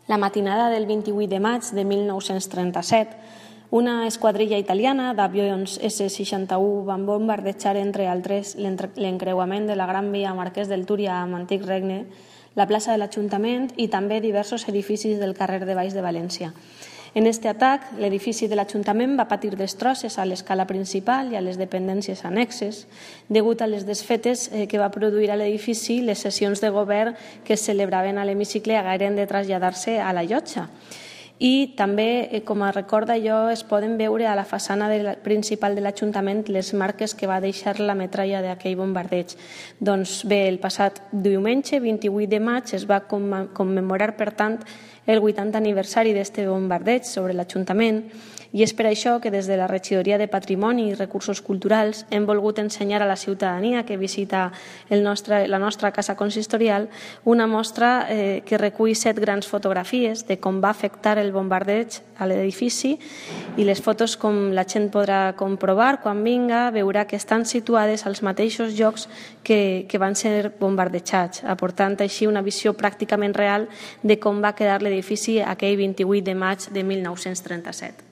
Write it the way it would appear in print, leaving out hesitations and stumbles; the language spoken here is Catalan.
La matinada del 28 de maig de 1937, una esquadrilla italiana d'avions S-61 van bombardejar, entre altres, l'encreuament de la Gran Via Marquès del Túria amb Antic Regne, la plaça de l'Ajuntament i també diversos edificis del carrer de Baix de València. En aquest atac, l'edifici de l'Ajuntament va patir destrosses a l'escala principal i a les dependències annexes, degut a les desfetes que va produir a l'edifici les sessions de govern que es celebraven a l'hemicicle hagueren de traslladar-se a la llotja. I també, com a record d'allò, es poden veure a la façana principal de l'Ajuntament les marques que va deixar la metralla d'aquell bombardeig. Doncs bé, el passat diumenge, 28 de maig, es va commemorar, per tant, el 80 aniversari d'aquest bombardeig sobre l'Ajuntament, i és per això que des de la Regidoria de Patrimoni i Recursos Culturals hem volgut ensenyar a la ciutadania que visita la nostra casa consistorial una mostra que recull 7 grans fotografies de com va afectar el bombardeig a l'edifici, i les fotos, com la gent podrà comprovar quan vinga, veurà que estan situades als mateixos llocs que van ser bombardejats, aportant així una visió pràcticament real de com va quedar l'edifici aquell 28 de maig de 1937.